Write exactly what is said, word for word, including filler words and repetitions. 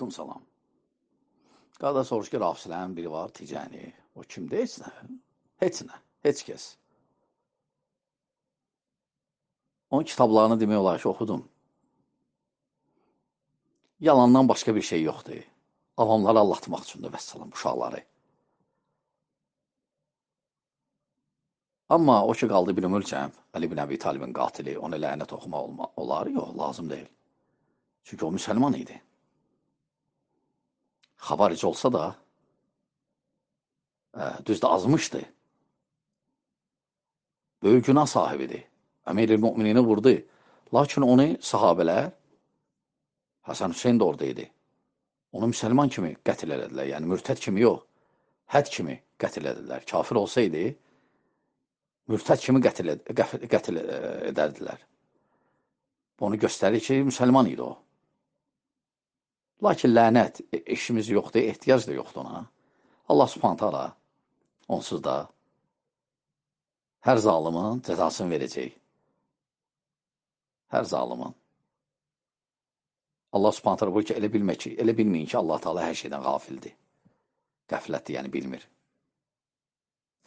Aleyküm salam. Qardaş soruş ki, Rafisilərin biri var, Ticəni. O kimdir? Heç nə. Heç nə. Heç kəs. Onun kitablarını demək olar ki, oxudum. Yalandan başqa bir şey yoxdur. Avamları allatmaq üçündür, vəssalam, uşaqları. Amma o ki, qaldı bir ölkəm, Əli bin Əbi Talibin qatili, ona lənət oxumaq olma, olar? Yox, lazım deyil. Çünki o müsəlman idi. Xavaric olsa da, ə, düzdür, azmışdı. Böyük günah sahibidir. Əmir-i müminini vurdu. Lakin onu sahabələr, Həsən Hüseyin də orada idi. Onu müsəlman kimi qətl elədilər. Yəni, mürtəd kimi yox, həd kimi qətl edədilər. Kafir olsaydı, mürtəd kimi qətl, ed qətl edərdilər. Onu göstərir ki, müsəlman idi o. Lakin lənət, işimiz yoxdur, ehtiyac da yoxdur ona. Allah subhanət hala onsuz da hər zalımın cəzasını verəcək. Hər zalımın. Allah subhanət hala bu ki, elə bilmək ki, elə bilməyin ki, Allah Teala hər şeydən qafildir. Qəflətdir, yəni bilmir.